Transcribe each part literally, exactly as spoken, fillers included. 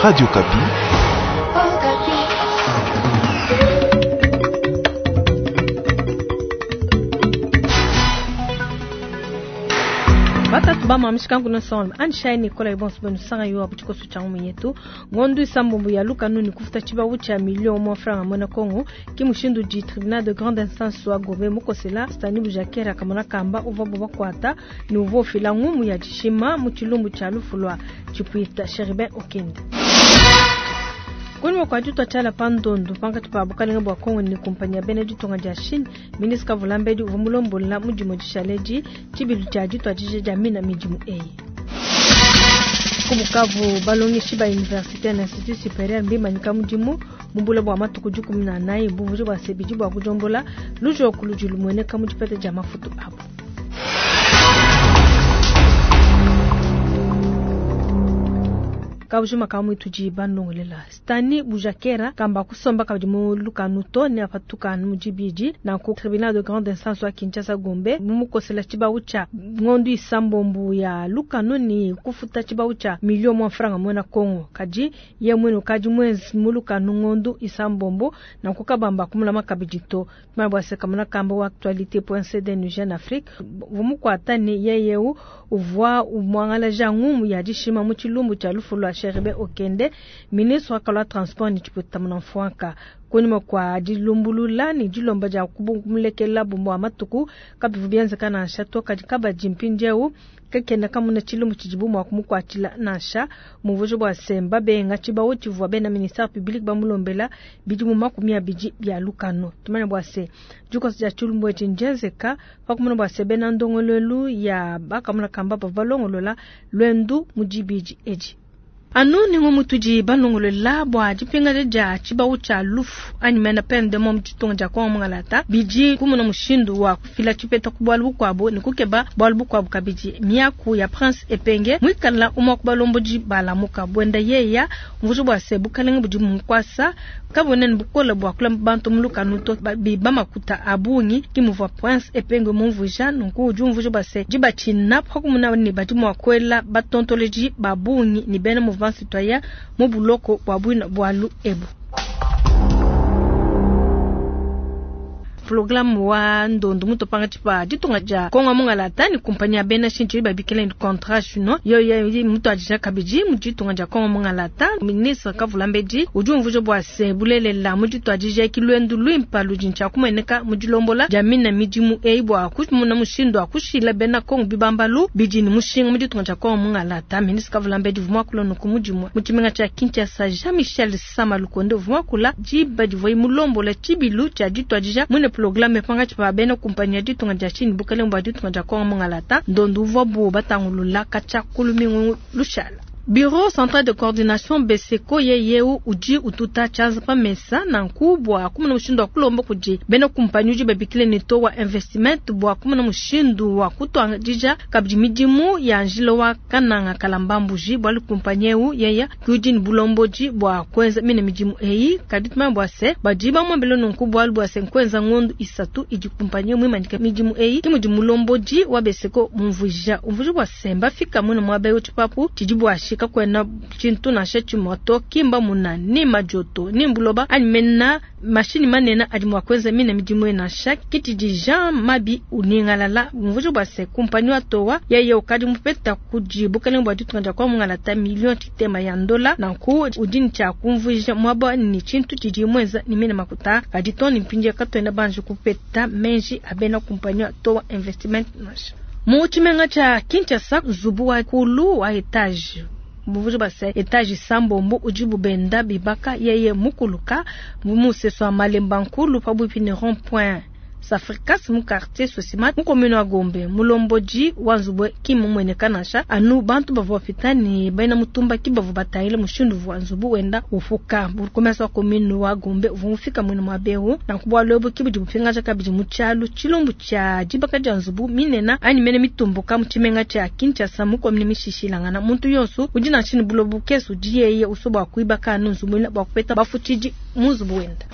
Radio Okapi. Batatu bamamishika nkuno sonle anshai Nicolas ibonso benu sanga yo abuchikoso cha yetu ngondu isambombo ya luka nuni kufuta chibawu cha million mwa franc mwana Kongo kimushindu di tribunal de grande instance wa Gombe mukosela Stani Bujakera kamona kamba uva boba kwata ni uvo fila ngumu ya jishima muchilumbu cha lufulwa chipuita Cherubin Okende. Kuni kwa juto chala pandondu panga tupa bukalinga bwa Kongo ni kumpanya ya bene ditonga dia Chine ministre Kavulambedi uva mulombola mudimu dishaleji chibilu cha juto ajije jamina midimu eyi. Kubukavu balongeshi ba université na institut supérieur mbimanyika mudimu mumbula bwa matuku dikumi na anayi buvuji bwa sebidi bwa kujombola lujoku ludi lumueneka mu dipeta dia mafutu abu. Kabujuma kamwe tudi bandongolela Stani Bujakera kamba kusomba kabidi mu lukanu to ne apatuka mu dibidi na ku tribunal de grande instance wa Kinshasa Gombe mumukosela chibawu cha ngondu isambombu ya lukanu ni kufuta chibawu cha million mwa franga mwana Kongo kaji ye mwenu kaji mwezi mu lukanu ngondu isambombo na kukabamba kumulama kabidi to mabwase kamuna kamba wa actualité point c d nu Jeune Afrique vumukwata ni yeyeu uvwa umwangala jangumu ya dishima mu chilumbu cha lufu lwa Cherubin Okende ministre wa kalwa transport ni chiputa mnamfwanka kunyuma kwa dilumbulula ni dilomba dia kubumulekela bumbu matuku kabivu bienzeka nansha to kadi kabadi mpindieu kakenda kamuna chilumbu chidibu mwa kumukwatshila nansha muvuji bwa semba benga tshibawu tshivua bena ministère public bamulombela bidimu makumi abidi bia lukano tumanya bwa se dikosa dia tshilumbu etshi ndienzeka pakumuna bwa se bena ndongoluelu ya bakamuna kamba bavua balongolola lwendu mu dibidi edi. Anu ningo mutudi balongolola bua dipingaja dia tshibawu tshia lufu anyi mena peine de mort mu ditunga dia Kongo Mungalata bidi kumuna mushindu wa kufila tshipeta ku bualu bukuabu ne kukeba bualu bukuabu kabidi. Miaku ya Prince Epenge muikala umua ku balombodi balamuka buenda yeya mvuji bua se bukalenga budi mukwasa kabwena ne bukole bua kulamba bantu mu lukanu to biba makuta a bungi ki muvua Prince Epenge mumvuija. Nunku udi umvuija bua se dibatshina pakumuna ne badi mua kuela batontoloji ba bungi ne bena mouvement citoyen mu buloko bua buina bualu ebu. Programme wa ndondo mutopanga tshipa ditunga dia Kongo Mungalata ni kumpanya ya bena Chine babikila ni contrat chinois yo yo mutu adija kabidi mu ditunga dia Kongo Mungalata. Ministre Kavulambedi udi umvuija bua se bulelela mu ditu adija kilwendu lwimpa ludi ntshia kumueneka mu dilombola dia mina midimu eyi bua kumuna mushindu wa kushila bena Kongo bibambalu bidi ni mushinga mu ditunga dia Kongo Mungalata. Ministre Kavulambedi uvua muakula nuku mudimu mu tshimenga tshia Kinshasa. Jean-Michel Samalukonde uvua muakula diba divuaye mulombola tshibilu tshia ditu adija mwine programme panga tshipa bena kumpanya ya ditunga dia Chine bukalenge bua ditunga dia Kongo Mungalata ndondu uvua bu batangulula katshia kulumingu lushala. Bureau central de coordination B C C O yeyeu udi ututa tshianza pa mesa nanku bua kumuna mushindu wa kulomba kudi bena kumpanyi udi babikile ne to wa investissement bua kumuna mushindu wa kutuadija kabidi midimu ya njila wa Kananga Kalamba Mbuji bualu kumpanyi eu yeya kudi ne bulombodi bua kuenza mine midimu eyi kadi tumanya bua se badi bamuambile nunku bualu bua se nkuenza ngondu isatu idi kumpanyi muimanyike midimu eyi ki mudi mulombodi wa B C C O mumvuija umvuija bua se mbafika mwene muaba eu tshipapu tshidi buashika kwena tshintu nansha tshimue to kimba muna ni majoto ni mbuloba anyi mena mashini manene adi mua kuenza mine midimu ye nansha kitidi Jean Mabi uningalala mvuji bua se kumpanyi wa towa yeye ukadi mupeta kudi bukalenge bua ditunga dia Kongo Mungalata million tshitema ya ndola nanku udi ne tshia kumvuija muaba ni tshintu tshidi muenza ni mine makuta kadi to ni mpindieu katuena banji kupeta menji a bena kumpanyi wa towa investissement nansha. Mu tshimenga tshia Kinshasa nzubu wa kulu wa etage buvuji bua se etage sambombo udi bubenda bibaka yeye mukuluka museso wa Malemba Nkulu pabuipi ne rond point Safricas mu quartier Sosimat mu commune wa Gombe mulombodi wa nzubwe ki mumueneka nansha anu bantu bavua bapita ne bena mutumba ki bavua batangile mushindu wa nzubu wenda ufuka. Burgomestre wa commune wa Gombe uvua mufika mwene mwa bewu nanku bualu ebu ki budi bupingaja kabidi mu tshialu tshilumbu tshia dibaka dia nzubu minena anyi mene mitumbuka mu tshimenga tshia Kinshasa mu commune mishishilangana. Muntu yonso udi nansha ne buloba bukese udi yeye usua bua kuibaka anu nzubu ina bua kupeta bafutshidi mu nzubu wenda.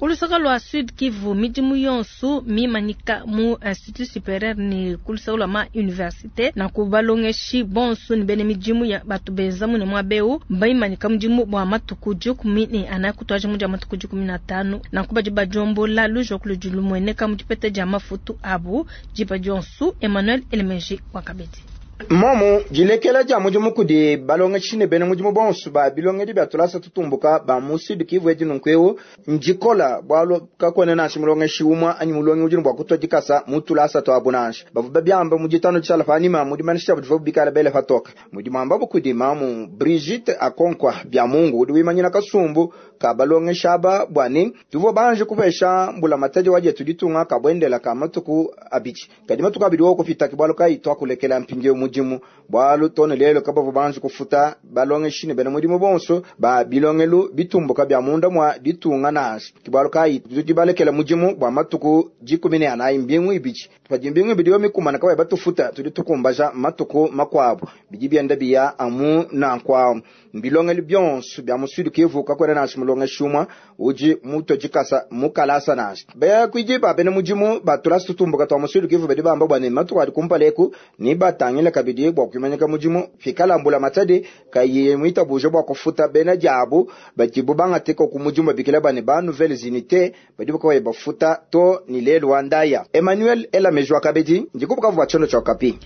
Ku luseke lua Sud Kivu, midimu yonso mimanyika mu Institut Superieur ne ku luseke lua ma université nanku balongeshi bonso ne bena midimu ya batu benza mune muaba eu mbimanyika mudimu bua matuku dikumi ne anayi kutuadija mu dia matuku dikumi na atanu. Nanku badi badiombola lujoku ludi lumueneka mu dipeta dia mafutu abu diba dionso. Emmanuel Elemeji wakabedi. Momu dilekela dia mudimu kudi balongeshi ne bena mudimu bonso ba bilongedi bia tulasa tutumbuka ba mu Sud Kivu edi nunku eu ndikola bualu kakuena nansha mulongeshi umue anyi mulongi udi ne bua kutua dikasa mu tulasa tuabu nansha. Bavua babiamba mu ditanu tshiala panyima mu dimanyisha diabu divua bikala bele patoke mudimu ambabu kudi mamu Brigitte Akonkwa bya Mungu udi wimanyina kasumbu ka balongeshi aba bua ne tuvua banje kupesha mbulamatadi wa dietu ditunga kabuendela ka matuku abidi, kadi matuku abidi wo kupita ke bualu kayi tuakulekela mpindieu mudimu bualu tone lelo kabavua banji kufuta balongeshi ne bena mudimu bonso ba bilongelu bitumbuka bya munda mwa ditunga nansha. Ke bualu kayi tudi balekela mudimu bua matuku dikumi ne anayi mbingu ibidi, padi mbingu ibidi yo mikumana kabayi batufuta tudi tukumbaja matuku makuabu bidi bienda biya amu nanku awu. Mbilongelu bionso bya mu Sud Kivu kakuena nansha mulongeshi umue udi mutue dikasa mu kalasa nansha. Bakuidi ba bena mudimu ba tulasa tutumbuka tua mu Sud Kivu badi bamba bua ne matuku adi kumpala eku ne batangila kabidi bua kuimanyika mudimu pikala mbulamatadi kayi muitabuje bua kufuta bena diabu badibu bangateka ku mudimu babikila bane ba nouvelles unités badi bakabaye bafuta to ni lelu wa ndaya. Emmanuel Elameji wa kabidi ndikubuka bua tshondo tshia Okapi.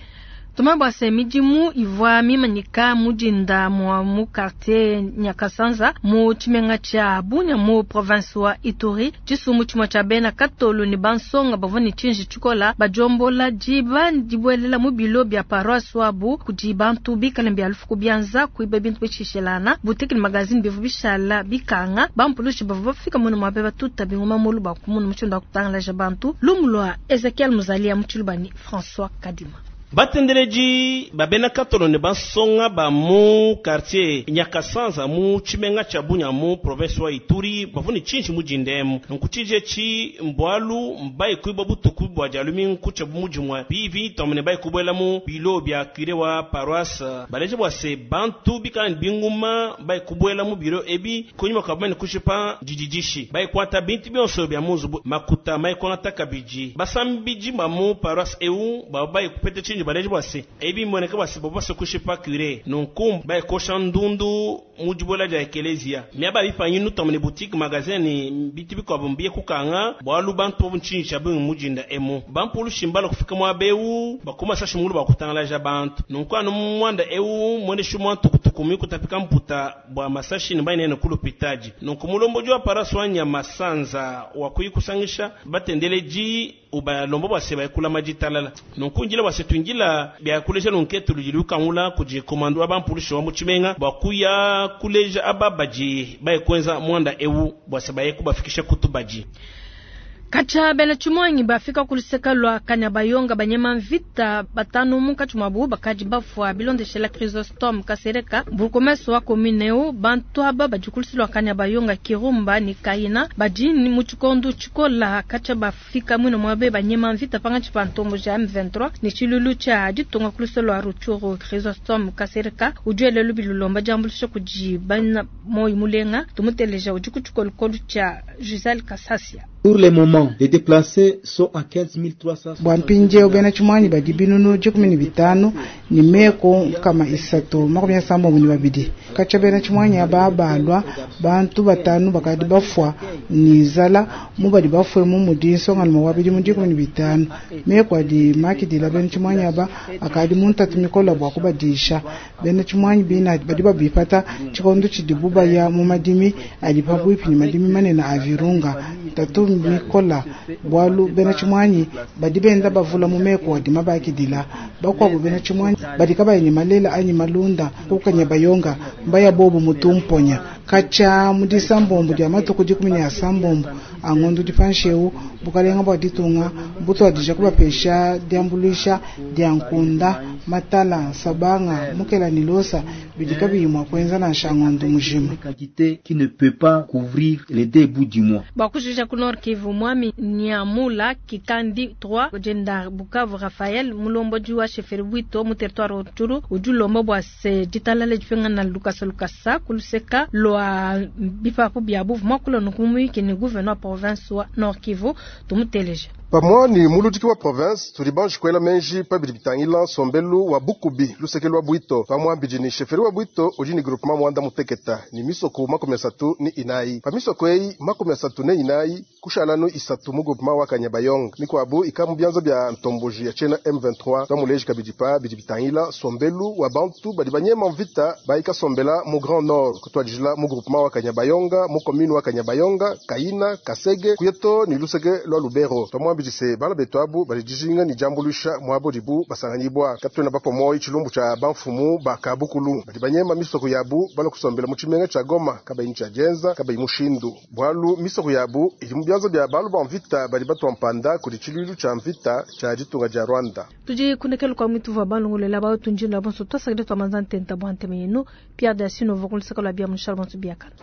Tuma bua se midimu ivua mimanyika mudinda mua mu quartier Nyakasanza mu tshimenga tshia Bunia mu province wa Ituri. Tshisumbu tshimue tshia bena katolo ne bansonga bavua ne tshinji tshikola badiombola diba dibuelela mu bilo bia paroisse wabu kudi bantu bikale bia lufu ku bianza kuiba bintu bishishelana boutique ne magazine bivua bishala bikanga. Bampulushi bavua bafika mune muabe batuta bingoma mulu bakumuna mushindu wa kutangalaja bantu. Lumu lua Ezekiel Muzalia mu Tshilubani François Kadima. Batendeleji babena katolo ne bansonga ba mu quartier Nyakasanza mu tshimenga tshia Bunia mu province wa Ituri bavua ne tshinji mudindemu nkutshinji etshi mbualu mbayi kuiba butuku bua dia lumingu kutshia bu mudimue bivi tomene bayi kubuela mu bilo bia curé wa paroisse baleje bua se bantu bikala ne binguma bayi kubuela mu biro ebi kunyima kua bamane kushipa dididishi bayi kuata bintu bionso bia mu nzubu makuta mayi kuangata kabidi basambidi ba mu paroisse eu baba bayi kupeta tshinji baleje bua se ebi mboneka bua se bavua basue kushipa curé nunku bayi kosha ndundu mu dibuela dia ekelezia miaba bipanyinu tomene boutique magasin ne bintu bikuabu mbiye kukanga bualu bantu bobu ntshinyi tshia bungi mudinda emu bampulushi mbala kufika muaba eu bakuma sashi mulu bakutangalaja bantu nunku anu muanda eu muendeshi mwa ntukutuku mikutapika mputa bua masashi ne bayinene ku lupitadi nunku mulombodi wa paroisse wa Nyamasanza wakuyi kusangisha batendeleji ubalomba bua se bayikulama ditalala nunku njila bua se tuingila bia kuleja lunketu ludi lukangula kudi komando wa bampulushi wa mu tshimenga bua kuya kuleja aba badi bayikwenza muanda eu bua se baye kubafikisha kutu badi. Katshia bena tshimuangi bafika ku luseke lua Kanyabayonga banyema mvita batanu munkatshi muabu bakadi bafua bilondeshela Chrysostome Kasereka bourgmestre wa commune eu. Bantu aba badi ku luseke lua Kanyabayonga, Kirumba ne Kayina badi mu tshikondo tshikola katshia bafika muine muabe banyema mvita pangatshi pa ntombo ja M vingt-trois ne tshilulu tshia ditunga ku luseke lua Rutshuru. Chrysostome Kasereka udi wela lubi lulomba diambuluisha kudi bana moyo mulenga. Tumuteleja udi ku tshikolokolo tshia Giselle Kasasia. Pour le moment, les déplacés sont à quinze mille trois cents. Bua mpindieu bena tshimuanyi badi binunu dikumi ne bitanu ne meko nkama isatu makumi asambombo ne babidi. Katshia bena tshimuanyi aba balua, bantu batanu bakadi bafua ne nzala. Mu badi bafue mu mudi nsongalume wa bidimu dikumi ne bitanu. Meko adi makidila bena tshimuanyi aba akadi mu ntatu mikola bua kubadisha. Bena tshimuanyi bina badi babipata tshikondo tshidibu baya mu madimi adi pabuipi ne madimi manene a Virunga. Ntatu mikola bualu bena tshimuanyi badi benda bavula mu meko adi mabakidila. Bakuabu bena tshimuanyi badi kabayi ne malela anyi malunda ku Kanyabayonga mbaya bobu mutumponya. Katshia mu disambombo dia matuku dikumi ne asambombo a ngondo dipanshi eu Bukalenga bua ditunga butuadija kubapesha diambuluisha dia nkunda, matala, sabanga, mukela ne losa bidi kabiyi mua kuenza nansha ngondo mujima. Quantité qui ne peut pas couvrir les deux bouts du mois. Bakujija ku Nord Kivu mwami Nyamula Kikandi trois Jenda Bukavu Raphael mulombodi wa chefferie Bwito mu territoire Rutshuru udi ulomba bua se ditalala dipingana lukasa lukasa kuluseka lua bipapu bia buvu mwakula nukumuyiki ni gouverneur wa province wa Nord Kivu tumuteleje. Pamwani muludiki wa province tudi banji kuela menji pabidi bitangila nsombelu wa bukubi luseke lwa bwito pamwambidi ni sheferi wa bwito udi ni groupement mwanda muteketa ni misoko makumi asatu ni inayi pa misoko eyi makumi asatu ne inayi kushalanu isatu mu groupement wa Kanyabayonga mikwabu ika mu byanza bya ntomboji ya chena M vingt-trois twamuleji kabidi pa bidi bitangila nsombelu wa bantu badi banyema mvita bayika sombela mu Grand Nord kutwadijila mu groupement wa Kanyabayonga mu commune wa Kanyabayonga Kaina Kasege kuyeto ni luseke lwa Lubero twamwambidi se bala betu abu bali dijinga ni jambulusha mwabo dibu basanganyibwa katwena bapomoyi chilumbu cha banfumu bakabukulu badi banyema misoko yabu bala kusombela mu chimenga cha Goma kabayi cha Jenza kabayi mushindu bwalu misoko yabu ili mu byanza bya balu ba mvita bali batwa mpanda kuli chiluilu cha mvita cha ditunga ja Rwanda. Tudi kunekelo kwa mwitu va balongolela ba tunjinda bonso twasakile twa manza ntenta bwa nteme yenu Pierre Dasino vokulisaka lwa bia mushal bonso biakana.